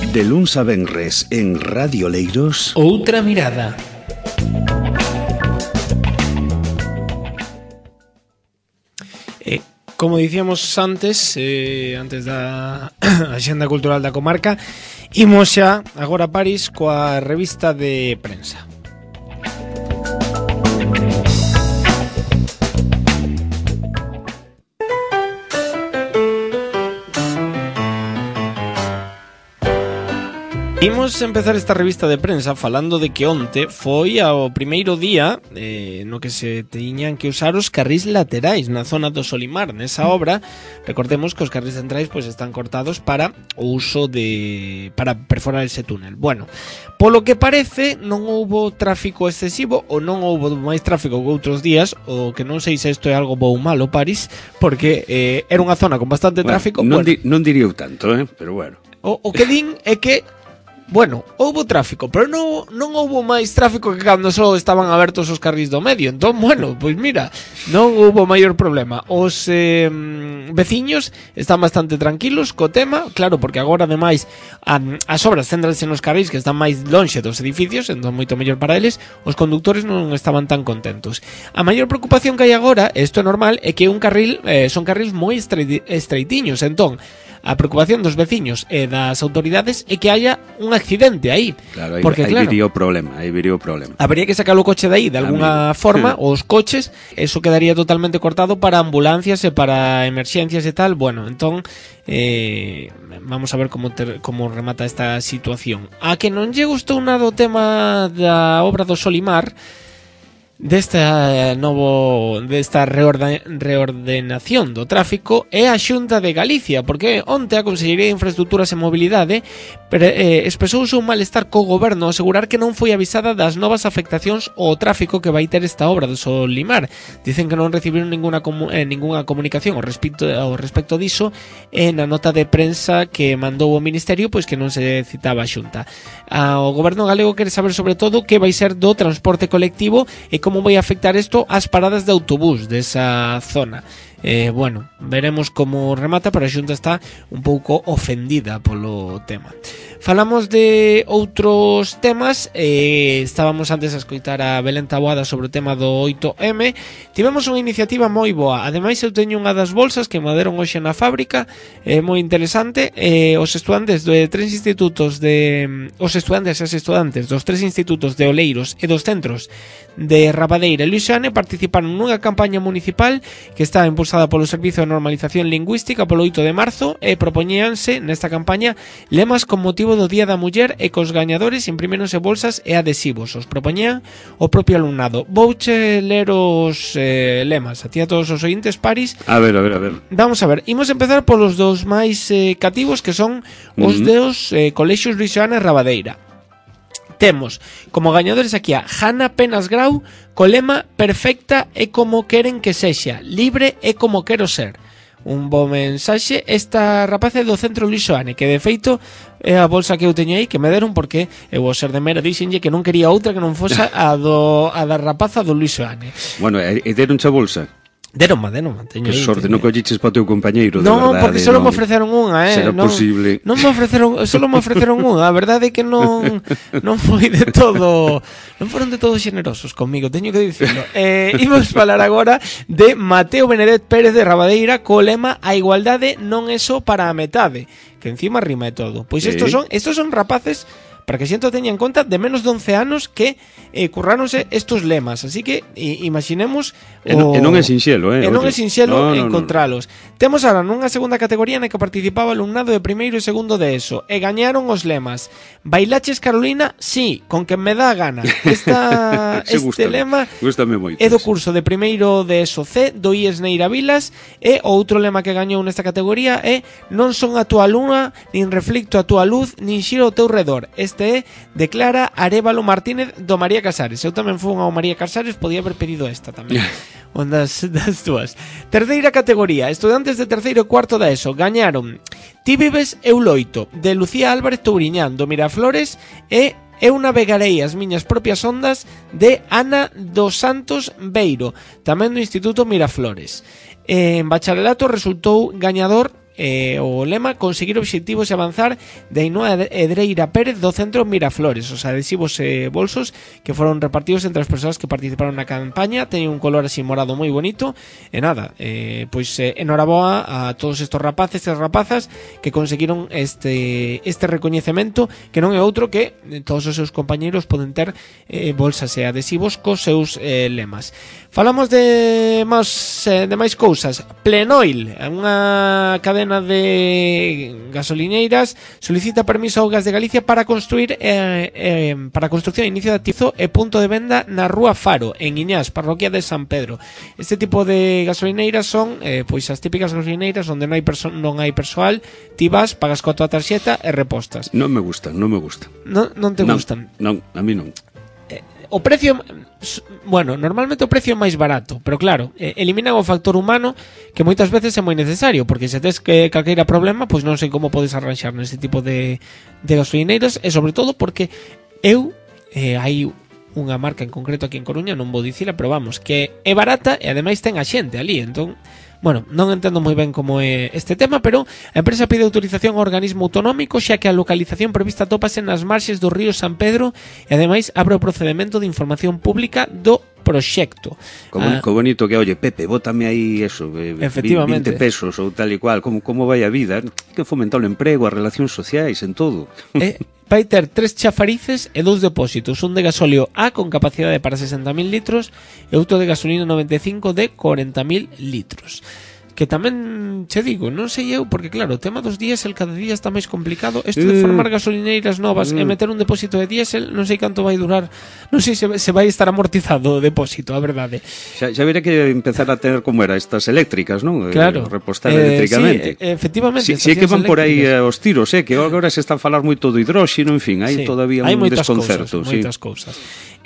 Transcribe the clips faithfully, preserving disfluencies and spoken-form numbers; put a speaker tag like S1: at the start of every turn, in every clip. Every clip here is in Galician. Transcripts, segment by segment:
S1: De luns a venres en Radio Oleiros.
S2: Outra mirada. Eh, como dicíamos antes, eh, antes da Axenda Cultural da Comarca, imos xa agora a París coa revista de prensa. Imos empezar esta revista de prensa falando de que onte foi ao primeiro día eh, no que se tiñan que usar os carrís laterais na zona do Solimar. Nesa obra, recordemos que os carrís centrais pois, están cortados para o uso de... para perforar ese túnel. Bueno, polo que parece non houbo tráfico excesivo ou non houbo máis tráfico que outros días, o que non sei se isto é algo bo ou malo, París, porque eh, era unha zona con bastante
S3: bueno,
S2: tráfico.
S3: Non,
S2: bueno,
S3: di, non diría tanto, eh? Pero bueno.
S2: O, o que din é que bueno, houbo tráfico, pero non, non houbo máis tráfico que cando só estaban abertos os carrís do medio. Entón, bueno, pois mira, non houbo maior problema. Os eh, veciños están bastante tranquilos co tema, claro, porque agora ademais a, as obras céntranse nos carrís que están máis lonxe dos edificios, entón moito mellor para eles. Os conductores non estaban tan contentos. A maior preocupación que hai agora, isto é normal, é que un carril eh, son carrís moi estreitiños, entón a preocupación dos veciños e das autoridades é que haya un accidente aí.
S3: Claro, aí,
S2: porque,
S3: aí
S2: claro,
S3: viría o problema, aí viría o problema.
S2: Habría que sacar o coche de aí de alguna Amigo. forma, os coches, eso quedaría totalmente cortado para ambulancias e para emerxencias e tal. Bueno, entón eh, vamos a ver como ter, como remata esta situación. A que non lle gustou nada o tema da obra do Solimar, desta novo desta reorde, reordenación do tráfico, é a Xunta de Galicia, porque onte a Consellería de Infraestructuras e Mobilidade pre, eh, expresouse un malestar co goberno ao asegurar que non foi avisada das novas afectacións ao tráfico que vai ter esta obra do Solimar. Dicen que non recibiron ninguna, comu, eh, ninguna comunicación ao respecto, ao respecto diso, e na nota de prensa que mandou o Ministerio, pois que non se citaba a Xunta. Ah, o goberno galego quere saber sobre todo que vai ser do transporte colectivo e como vai afectar isto ás paradas de autobús desa zona. Eh, bueno, veremos como remata, pero a Xunta está un pouco ofendida polo tema. Falamos de outros temas. eh, Estábamos antes a escoitar a Belén Taboada sobre o tema do oito eme. Tivemos unha iniciativa moi boa. Ademais eu teño unha das bolsas que me deron hoxe na fábrica, é eh, moi interesante. eh, Os estudantes de tres institutos de Os estudantes e as estudantes dos tres institutos de Oleiros e dos centros de Rabadeira e Luisiane participaron nunha campaña municipal que está impulsada polo Servizo de Normalización Lingüística polo oito de marzo, e propoñíanse nesta campaña lemas con motivo do Día da Muller, e cos gañadores imprimironse bolsas e adhesivos. Os propoñían o propio alumnado. Vouche ler os eh, lemas a ti a todos os ointes, Paris.
S3: A ver, a ver, a ver.
S2: Vamos a ver, imos empezar polos dos máis eh, cativos, que son os uh-huh. dos eh, colexios Luisiana e Rabadeira. Temos como gañadores aquí a Hanna Penas Grau co lema "Perfecta é como queren que sexa, libre é como quero ser". Un bo mensaxe. Esta rapaza é do Centro Luisoane, que de feito é a bolsa que eu teño aí, que me deron porque eu vou ser de mera, dixenlle que non quería outra que non fosa a, do, a da rapaza do Luisoane.
S3: Bueno, e deronche a bolsa?
S2: Deronma, deronma, teño
S3: que
S2: aí.
S3: sorte,
S2: teño.
S3: non colliches para o teu compañeiro,
S2: no,
S3: de verdade.
S2: Non, porque só
S3: non,
S2: me ofreceron unha, eh.
S3: Será
S2: non,
S3: posible.
S2: Non me ofreceron, só me ofreceron unha. A verdade é que non non foi de todo, non foron de todo xenerosos comigo, teño que dicirlo. Eh, imos falar agora de Mateo Benedet Pérez de Rabadeira co lema "A igualdade non é só para a metade", que encima rima e todo. Pois estos son, estos son rapaces, para que xento teña en conta, de menos de once anos que eh, curráronse estos lemas. Así que i, imaginemos
S3: E non, e non é sinxelo, eh?
S2: E non é sinxelo
S3: no, no,
S2: encontralos. No, no. Temos ahora nunha segunda categoría na que participaba alumnado de primeiro e segundo de ESO, e gañaron os lemas "Bailaches Carolina? Sí, con que me dá a gana". Esta, este
S3: gustame,
S2: lema
S3: gustame moito,
S2: é do curso de primeiro de ESO C do I E S Neira Vilas, e o outro lema que gañou nesta categoría é "Non son a túa luna, nin reflicto a túa luz, nin xiro ao teu redor". Este é de Clara Arévalo Martínez do María Casares. Eu tamén fui ao María Casares, podía haber pedido esta tamén. Ondas das túas. Terceira categoría, estudantes de terceiro e cuarto da ESO gañaron "Ti vives, eu loito", de Lucía Álvarez Touriñán do Miraflores, e "Eu navegarei as miñas propias ondas", de Ana dos Santos Beiro, tamén do Instituto Miraflores. En bacharelato resultou gañador eh, o lema conseguir obxectivos e avanzar de Ainhoa Edreira Pérez do Centro Miraflores. Os adhesivos e eh, bolsos que foron repartidos entre as persoas que participaron na campaña teñen un color así morado moi bonito e nada, eh, pois eh, enhoraboa a todos estos rapaces e rapazas que conseguiron este, este recoñecemento, que non é outro que todos os seus compañeiros poden ter eh, bolsas e adhesivos cos seus eh, lemas. Falamos de máis, eh, de máis cousas. Plenoil, unha cadena de gasolineiras, solicita permiso ao Gas de Galicia para construir eh, eh, para a construcción e inicio de atizo e punto de venda na Rúa Faro, en Iñás, parroquia de San Pedro. Este tipo de gasolineiras son eh, pois as típicas gasolineiras onde non hai, perso- non hai persoal, ti vas, pagas coa tua tarxeta e repostas.
S3: Non me gustan, non me gustan.
S2: Non, non te
S3: non,
S2: gustan?
S3: Non, a mí non.
S2: O precio, bueno, normalmente o precio é máis barato, pero claro, eliminan o factor humano que moitas veces é moi necesario, porque se tes que calqueira problema, pois non sei como podes arranxar neste tipo de, de gasolineiras, e sobre todo porque eu, eh, hai unha marca en concreto aquí en Coruña, non vou dicila, pero vamos, que é barata e ademais ten a xente ali, entón... Bueno, non entendo moi ben como é este tema, pero a empresa pide autorización ao organismo autonómico xa que a localización prevista tópase nas marxes do río San Pedro e ademais abre o procedemento de información pública do proxecto.
S3: Como, ah, co bonito que, oye, Pepe, bótame aí eso, eh,
S2: efectivamente,
S3: vinte pesos ou tal e cual, como, como vai a vida, que fomentar o emprego, as relacións sociais, en todo.
S2: Eh, vai ter tres chafarices e dous depósitos, un de gasóleo A con capacidade para sesenta mil litros e outro de gasolina noventa e cinco de corenta mil litros. Que tamén, che digo, non sei eu, porque claro, o tema dos diésel cada día está máis complicado. Isto de formar gasolineiras novas mm. e meter un depósito de diésel, non sei canto vai durar, non sei se, se vai estar amortizado o depósito, a verdade.
S3: Xa, xa verá que empezar a tener como era estas eléctricas, non?
S2: Claro.
S3: Repostar eh, eléctricamente.
S2: Sí, efectivamente.
S3: Si, si é que van por aí eh, os tiros, eh, que agora se está a falar moito do hidróxeno, en fin, hai sí, todavía un desconcerto.
S2: Hai moitas cousas.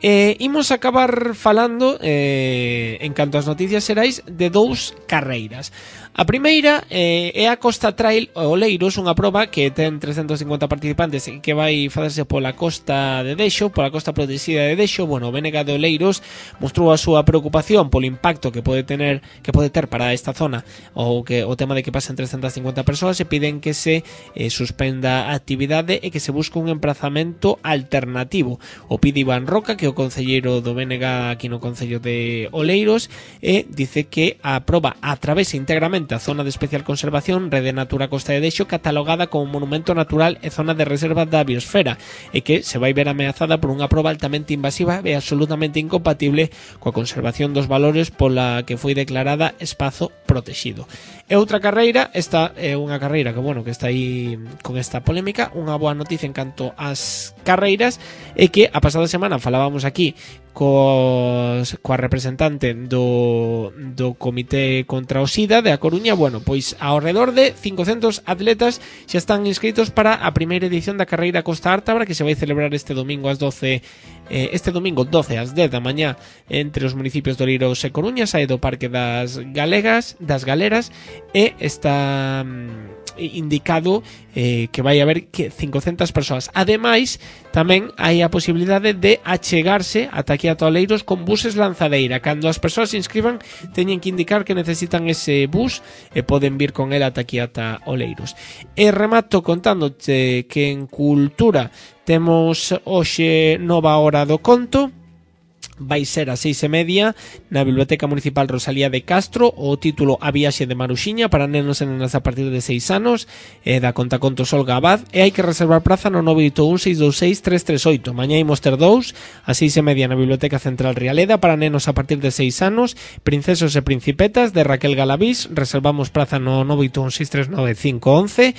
S2: Eh, imos acabar falando eh, en canto ás noticias xerais de dous carreiras. A primeira eh, é a Costa Trail Oleiros, unha proba que ten trescentos cincuenta participantes e que vai facerse pola costa de Dexo, pola costa protexida de Dexo. Bueno, o B N G de Oleiros mostrou a súa preocupación polo impacto que pode tener que pode ter para esta zona ou que o tema de que pasen trescentas cincuenta persoas e piden que se eh, suspenda a actividade e que se busque un emprazamento alternativo. O pide Iván Roca, que é o concelleiro do B N G aquí no Concello de Oleiros, e dice que a proba atravesa íntegramente a zona de especial conservación Rede Natura Costa de Dexo, catalogada como monumento natural e zona de reserva da biosfera, e que se vai ver ameazada por unha proba altamente invasiva e absolutamente incompatible coa conservación dos valores pola que foi declarada espazo protegido. E outra carreira, esta é unha carreira que, bueno, que está aí con esta polémica. Unha boa noticia en canto ás carreiras é que a pasada semana falábamos aquí cos, coa representante do, do Comité contra o SIDA de A Coruña. Bueno, pois ao redor de cincocentos atletas xa están inscritos para a primeira edición da carreira Costa Ártabra, que se vai celebrar este domingo ás doce, eh, este domingo doce ás dez da mañá entre os municipios de Oleiros e Coruña, sae do Parque das Galegas, das Galeras, e está mm, indicado eh, que vai haber que cincocentas persoas. Ademais, tamén hai a posibilidade de achegarse ata aquí a Oleiros con buses lanzadeira. Cando as persoas se inscriban, teñen que indicar que necesitan ese bus e poden vir con el ata aquí ata Oleiros. E remato contándote que en Cultura temos hoxe nova hora do conto. Vai ser a seis e media na Biblioteca Municipal Rosalía de Castro. O título A viaxe de Maruxiña para nenos e nenas a partir de seis anos, e da contacontos Olga Abad, e hai que reservar praza no nove oito un seis dous seis tres tres oito. Mañá imos ter dous a seis e media na Biblioteca Central Rialeda para nenos a partir de seis anos, Princesos e Principetas de Raquel Galavís. Reservamos praza no nove oito un seis tres nove cinco once.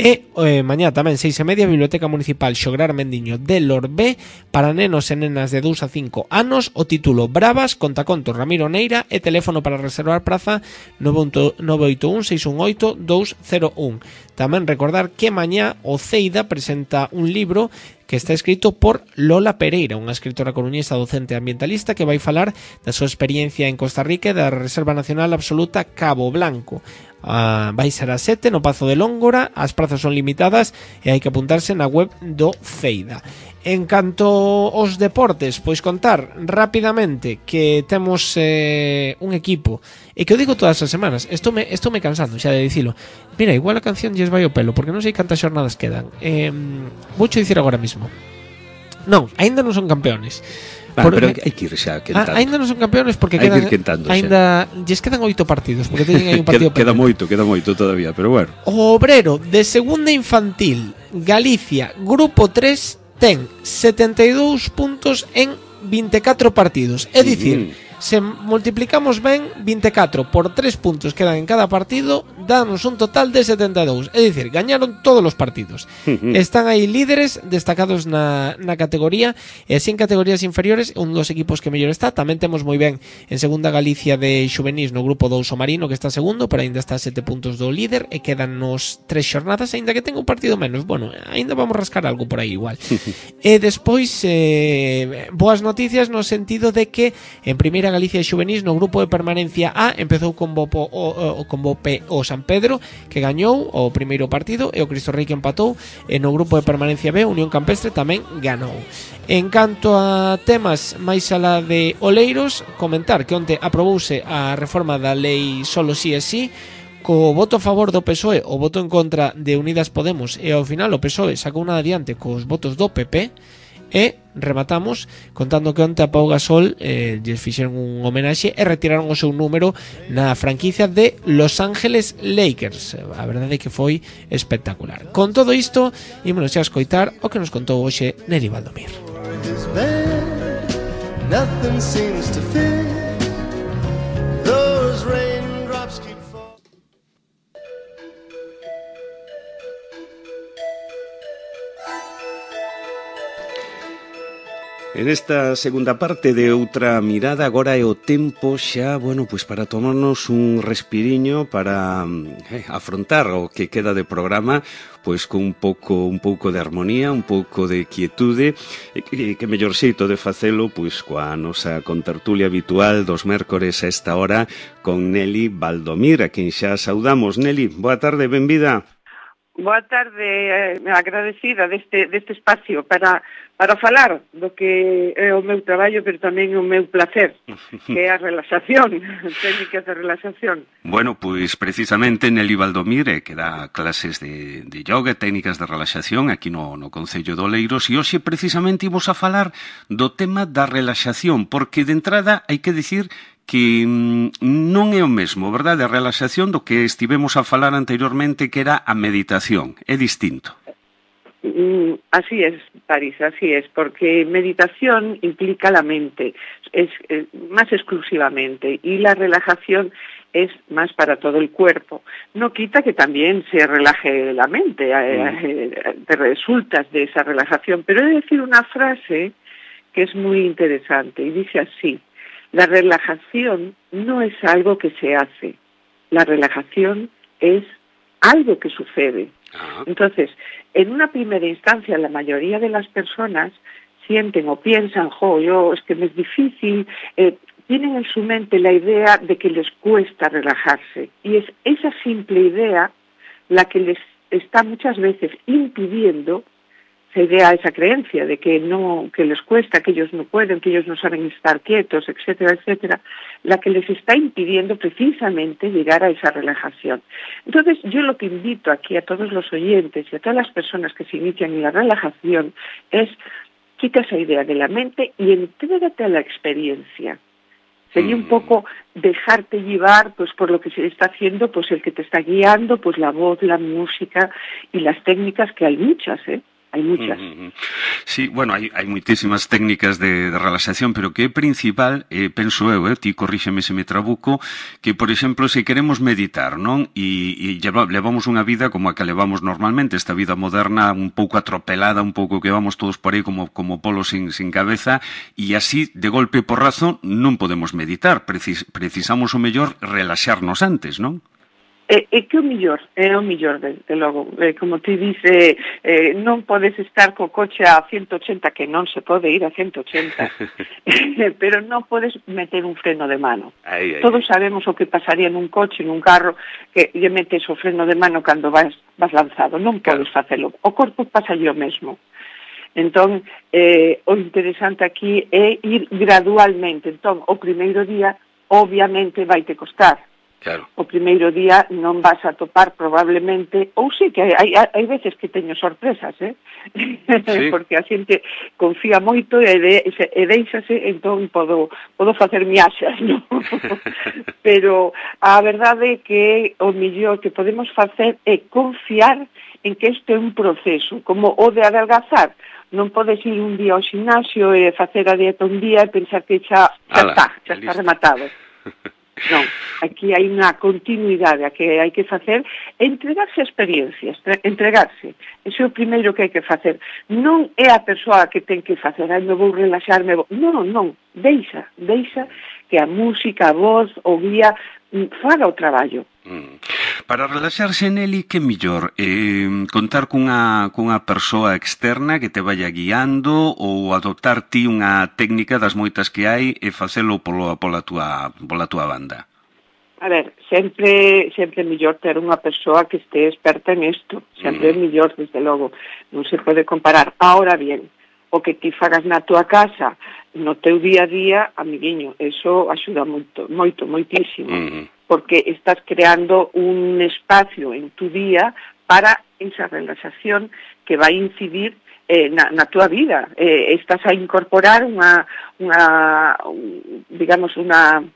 S2: E eh, mañá tamén seis e media Biblioteca Municipal Xograr Mendiño de Lorbé para nenos e nenas de dous a cinco anos. O título Bravas, contacontos Ramiro Neira, e teléfono para reservar praza nove oito un seis un oito dous cero un. Tamén recordar que mañá o Ceida presenta un libro que está escrito por Lola Pereira, unha escritora coruñesa docente ambientalista que vai falar da súa experiencia en Costa Rica e da Reserva Nacional Absoluta Cabo Blanco. Uh, vai ser a sete no Pazo de Lóngora, as prazas son limitadas e hai que apuntarse na web do Ceida. En canto aos deportes, pois contar rapidamente que temos eh, un equipo E que o digo todas as semanas, estou me, estou me cansando xa de dicilo. Mira, igual a canción lles vai o pelo, porque non sei cantas xornadas quedan. Eh, voucho dicir agora mismo. Non, aínda non son campeones.
S3: Ah, por, pero hai que ir xa quentando.
S2: Ah, aínda non son campeones porque
S3: hai
S2: quedan,
S3: que ir quentando
S2: aínda lles quedan oito partidos, porque teñen aí un partido
S3: queda, queda moito, queda moito todavía, pero bueno.
S2: O Obrero de segunda infantil Galicia, grupo tres, ten setenta e dous puntos en vinte e catro partidos. É dicir, mm. se multiplicamos ben vinte e catro por tres puntos que dan en cada partido, danos un total de setenta e dous. É dicir, gañaron todos os partidos. Mm-hmm. Están aí líderes destacados na, na categoría, e así en categorías inferiores, un dos equipos que mellor está. Tamén temos moi ben en segunda Galicia de xuvenís no grupo dous o Marino, que está segundo, pero ainda está a sete puntos do líder, e quedan nos tres xornadas, ainda que tenga un partido menos. Bueno, ainda vamos rascar algo por aí igual. E despois, eh, boas noticias no sentido de que en primeira Galicia de xuvenís no grupo de permanencia A empezou con Bopo, o, o, con Bope o San Pedro, que gañou o primeiro partido, e o Cristo Rei que empatou. E no grupo de permanencia B, Unión Campestre tamén ganou. En canto a temas máis alá de Oleiros, comentar que onte aprobouse a reforma da lei Solo Si é Si, co voto a favor do P S O E, o voto en contra de Unidas Podemos, e ao final o P S O E sacou unha adiante cos votos do P P. E rematamos contando que onte a Pau Gasol eh, lles fixeron un homenaxe e retiraron o seu número na franquicia de Los Ángeles Lakers. A verdade é que foi espectacular. Con todo isto, ímonos xa a escoitar o que nos contou hoxe Neri Valdomir.
S3: En esta segunda parte de Outra Mirada, agora é o tempo xa, bueno, pois para tomarnos un respiriño para eh, afrontar o que queda de programa, pois con un pouco un pouco de armonía, un pouco de quietude, e que, que mellor xeito de facelo pois coa nosa contertulia habitual dos mércores a esta hora con Neli Valdomir, a quen xa saudamos. Neli, boa tarde, benvida.
S4: Boa tarde, eh, agradecida deste, deste espacio para, para falar do que é o meu traballo, pero tamén o meu placer, que é a relaxación, técnicas de relaxación.
S3: Bueno, pois precisamente Neli Valdomir, eh, que dá clases de, de yoga, técnicas de relaxación aquí no, no Concello de Oleiros, e hoxe precisamente imos a falar do tema da relaxación, porque de entrada hai que dicir que non é o mesmo, verdade, a relaxación do que estivemos a falar anteriormente, que era a meditación. É distinto.
S4: Mm, así es, París, así es, porque meditación implica la mente, es, es más exclusivamente, y la relajación es más para todo el cuerpo. No quita que también se relaje la mente, mm. te resultas de esa relajación, pero he de decir una frase que es muy interesante, y dice así: la relajación no es algo que se hace, la relajación es algo que sucede. Entonces, en una primera instancia, la mayoría de las personas sienten o piensan, jo, yo, es que me es difícil, eh, tienen en su mente la idea de que les cuesta relajarse. Y es esa simple idea la que les está muchas veces impidiendo, esa idea, esa creencia de que no, que les cuesta, que ellos no pueden, que ellos no saben estar quietos, etcétera, etcétera, la que les está impidiendo precisamente llegar a esa relajación. Entonces, yo lo que invito aquí a todos los oyentes y a todas las personas que se inician en la relajación es: quita esa idea de la mente y entrégate a la experiencia. Sería un poco dejarte llevar pues por lo que se está haciendo, pues el que te está guiando, pues la voz, la música y las técnicas, que hay muchas, ¿eh? Hai muchas. Uh-huh.
S3: Sí, bueno, hai, hai moitísimas técnicas de, de relaxación, pero que é principal, eh, penso eu, eh, ti corríxeme se me trabuco, que, por exemplo, se queremos meditar, non? E, e levamos unha vida como a que levamos normalmente, esta vida moderna un pouco atropelada, un pouco que vamos todos por aí como, como polos sin, sin cabeza, e así, de golpe e porrazo, non podemos meditar. Precis, precisamos o mellor relaxarnos antes, non?
S4: É, é que o millor, é o millor, de, de logo, é, como ti dice, eh, non podes estar co coche a ciento ochenta, que non se pode ir a ciento ochenta, pero non podes meter un freno de mano. Ay, ay, Todos sabemos o que pasaría nun coche, nun carro, que lle metes o freno de mano cando vas, vas lanzado, non podes facelo. O corpo pasa o mesmo. Entón, eh, o interesante aquí é ir gradualmente. Entón, o primeiro día obviamente vai te costar.
S3: Claro.
S4: O primeiro día non vas a topar probablemente, ou sí que hai, hai, hai veces que teño sorpresas, eh? Sí. Porque a xente confía moito e, de, e deixase, entón podo, podo facer miaxas, non? Pero a verdade é que o mellor que podemos facer é confiar en que isto é un proceso, como o de adelgazar. Non podes ir un día ao gimnasio e facer a dieta un día e pensar que xa, xa
S3: Ala,
S4: está, xa está rematado. Non, aquí hai unha continuidade a que hai que facer, entregarse a experiencias, entregarse. Ese é o primeiro que hai que facer. Non é a persoa que ten que facer, ai, me vou relaxarme, vou... non, non, deixa, deixa que a música, a voz, o guía, faga o traballo.
S3: Mm. Para relaxarse, Nelly, que mellor? Eh, contar cunha, cunha persoa externa que te vaya guiando ou adoptar ti unha técnica das moitas que hai e facelo polo, pola, tua, pola tua banda?
S4: A ver, sempre sempre é mellor ter unha persoa que este experta en isto. Sempre mm. é mellor, desde logo. Non se pode comparar. Ahora bien, o que ti fagas na tua casa, no teu día a día, amiguiño, eso axuda moito, moito, moitísimo. Mm. Porque estás creando un espacio en tu día para esa relaxación que vai incidir eh, na, na tua vida. Eh, estás a incorporar unha, unha digamos, unha,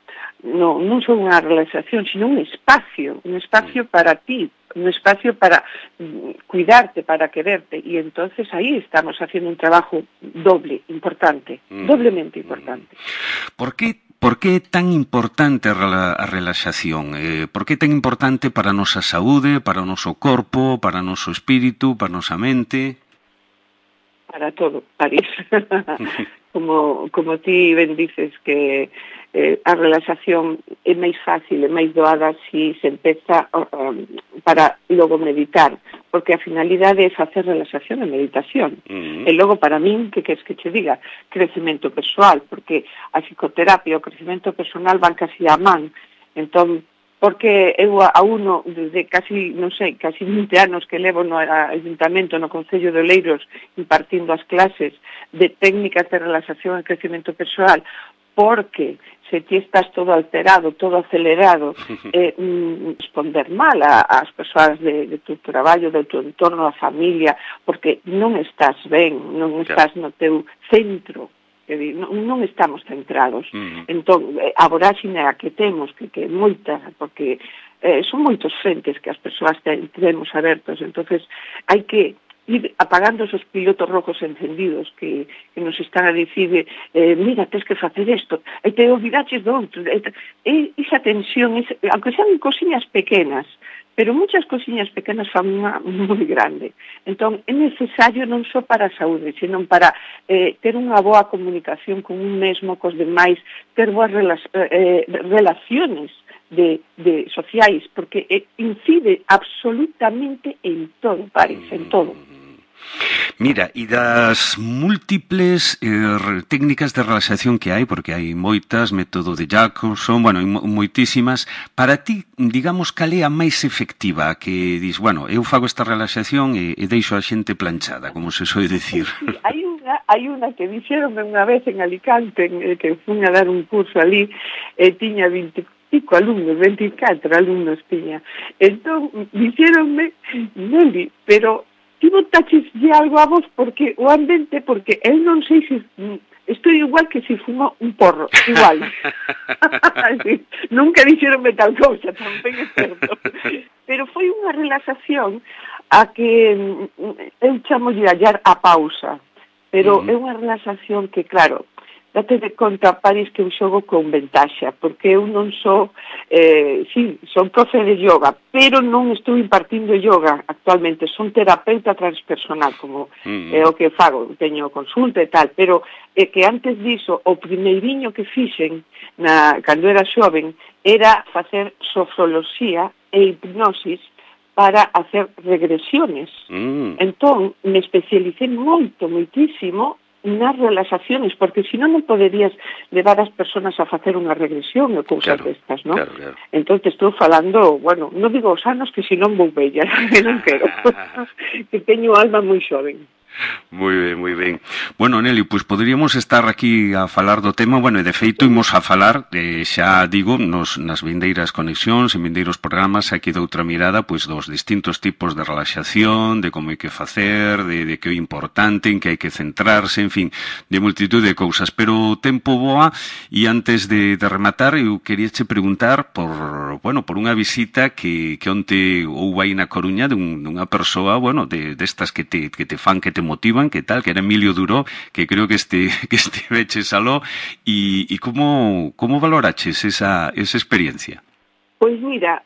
S4: no, non só unha relaxación, sino un espacio, un espacio para ti, un espacio para cuidarte, para quererte, y entonces ahí estamos haciendo un trabajo doble, importante, mm. doblemente importante.
S3: ¿Por qué Por que é tan importante a relaxación? Eh, por que é tan importante para a nosa saúde, para o noso corpo, para o noso espírito, para a nosa mente?
S4: Para todo, París. como, como ti ben dices que eh, a relaxación é máis fácil, é máis doada se si se empeza um, para logo meditar, porque a finalidade é facer relaxación e meditación. Uh-huh. E logo, para min, que queres que che diga? Crecemento persoal, porque a psicoterapia e o crecemento personal van casi a man. Entón, porque eu a uno, desde casi, non sei, casi vinte anos que levo no Ayuntamento, no Concello de Oleiros, impartindo as clases de técnicas de relaxación e crecemento persoal, porque se ti estás todo alterado, todo acelerado, eh, mm, responder mal ás persoas de, de tu traballo, do teu entorno, a familia, porque non estás ben, non estás no teu centro, que non, non estamos centrados. Uh-huh. Entón, a voráxine a que temos, que, que é moita, porque eh, son moitos frentes que as persoas temos abertos, entonces hai que ir apagando esos pilotos rojos encendidos que, que nos están a dicir eh, mira, tens que facer isto e te olvidaches do outro e, e esa tensión, esa, aunque sean cosiñas pequenas, pero muchas cosiñas pequenas fan unha moi grande. Entón, é necesario non só para a saúde, senón para eh, ter unha boa comunicación con un mesmo, cos demais, ter boas rela eh, relaciones de, de sociais, porque eh, incide absolutamente en todo, París, en todo.
S3: Mira, e das múltiples eh, técnicas de relaxación que hai, porque hai moitas, método de Jacobson, bueno, hai moitísimas, para ti, digamos, cal é a máis efectiva, que dis, bueno, eu fago esta relaxación e, e deixo a xente planchada, como se soe dicir?
S4: Sí, hai unha, hai unha que dixeronme unha vez en Alicante, en, que fui a dar un curso ali, e tiña vinte pico alumnos, veinticuatro alumnos tiña. Entón, dixeronme, Nelly, pero ti botaches de algo a vos porque o ambiente, porque eu non sei se estou igual que se fuma un porro, igual. Sí, nunca dixeronme tal cousa, tamén é certo. Pero foi unha relaxación a que eu chamo de hallar a pausa, pero mm. é unha relaxación que, claro, date de conta, París, que eu xogo con ventaxa, porque eu non sou, eh, sí, son profe de yoga, pero non estou impartindo yoga actualmente, son terapeuta transpersonal, como mm. é o que fago, teño consulta e tal, pero é que antes diso, o primeiriño que fixen, na, cando era xoven, era facer sofroloxía e hipnosis para hacer regresiones. Mm. Entón, me especialicé moito, moitísimo, nas relaxaciones, porque senón non poderías levar as persoas a facer unha regresión ou cousas claro, destas, non? Claro, claro. Entón estou falando, bueno, non digo os anos que senón vou bella, que non quero, que teño alma moi xoven.
S3: Moi ben, moi ben. Bueno, Nelly, pois pues poderíamos estar aquí a falar do tema, bueno, e de feito imos a falar, eh, xa digo, nos, nas vindeiras conexións, en vindeiros programas, aquí doutra mirada, pois pues, dos distintos tipos de relaxación, de como hai que facer, de, de que é importante, en que hai que centrarse, en fin, de multitud de cousas. Pero o tempo voa, e antes de, de rematar, eu queríache preguntar por, bueno, por unha visita que, que onte houve aí na Coruña de un, dunha persoa, bueno, de destas que te, que te fan, que te motivan, que tal, que era Emilio Duró, que creo que este que estiveches aló, e, e como, como valoraches esa, esa experiencia?
S4: Pois mira,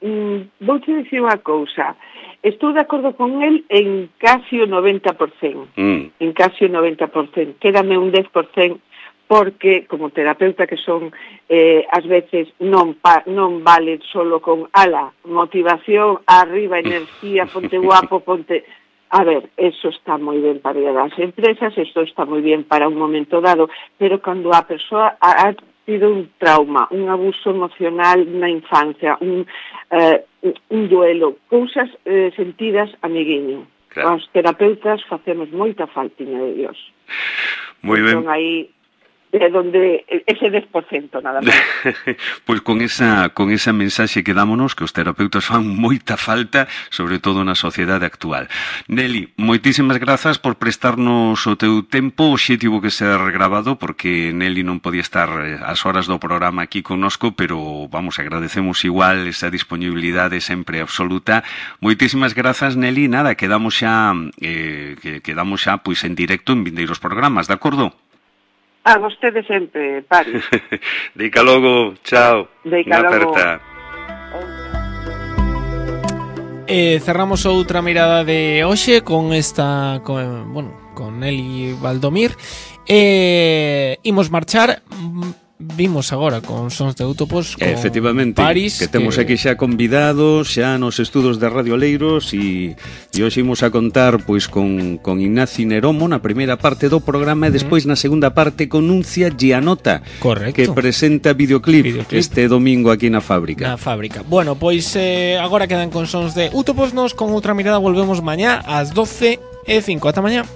S4: vou te dicir unha cousa, estou de acordo con el en casi o noventa por cento, mm. en casi o noventa por cento, quédame un dez por cento, porque como terapeuta que son, eh, ás veces non, pa, non vale solo con ala, motivación, arriba, enerxía, ponte guapo, ponte... A ver, eso está moi ben para as empresas, eso está moi bien para un momento dado, pero cando a persoa ha tido un trauma, un abuso emocional na infancia, un, eh, un duelo, cousas eh, sentidas amiguiño. Claro. Os terapeutas facemos moita faltiña de Dios.
S3: Moi ben.
S4: Entón aí de donde ese dez por cento nada máis.
S3: Pois con esa con esa mensaxe que dámonos que os terapeutas fan moita falta, sobre todo na sociedade actual. Nelly, moitísimas grazas por prestarnos o teu tempo, hoxe tivo que ser grabado porque Nelly non podía estar as horas do programa aquí connosco, pero vamos, agradecemos igual esa disponibilidade sempre absoluta. Moitísimas grazas, Nelly, nada, quedamos xa eh, que quedamos xa pois en directo en vindeiros programas, de acordo?
S4: A vostede sempre, Paris.
S3: Deica logo, chao.
S4: Deica logo.
S2: Eh, cerramos outra mirada de hoxe con esta, con, bueno, con Nelly Valdomir. Eh, imos marchar. Vimos agora con Sons de Utopos con
S3: efectivamente,
S2: Paris,
S3: que temos
S2: que...
S3: aquí xa convidados xa nos estudos de Radio Leiros e, e hoxe imos a contar pois con, con Ignacio Neromo na primeira parte do programa e despois na segunda parte con Nuncia Gianota.
S2: Correcto.
S3: Que presenta videoclip, videoclip este domingo aquí na fábrica.
S2: Na fábrica. Bueno, pois eh, agora quedan con Sons de Utopos, nos con outra mirada volvemos mañá ás doce e cinco. Ata mañá.